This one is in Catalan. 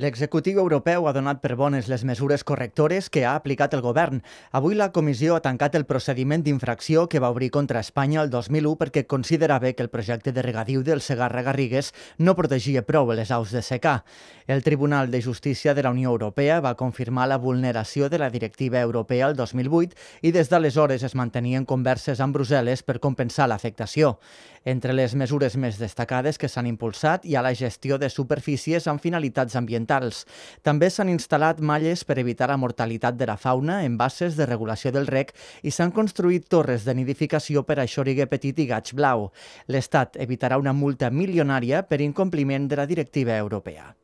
L'executiu europeu ha donat per bones les mesures correctores que ha aplicat el govern. Avui la Comissió ha tancat el procediment d'infracció que va obrir contra Espanya el 2001 perquè considerava que el projecte de regadiu del Segarra-Garrigues no protegia prou les aus de secà. El Tribunal de Justícia de la Unió Europea va confirmar la vulneració de la directiva europea el 2008 i des d'aleshores es mantenien converses amb Brussel·les per compensar l'afectació. Entre les mesures més destacades que s'han impulsat hi ha la gestió de superfícies amb finalitats ambientals. També s'han instal·lat malles per evitar la mortalitat de la fauna en basses de regulació del rec i s'han construït torres de nidificació per a xorigue petit i gaig blau. L'Estat evitarà una multa milionària per incompliment de la directiva europea.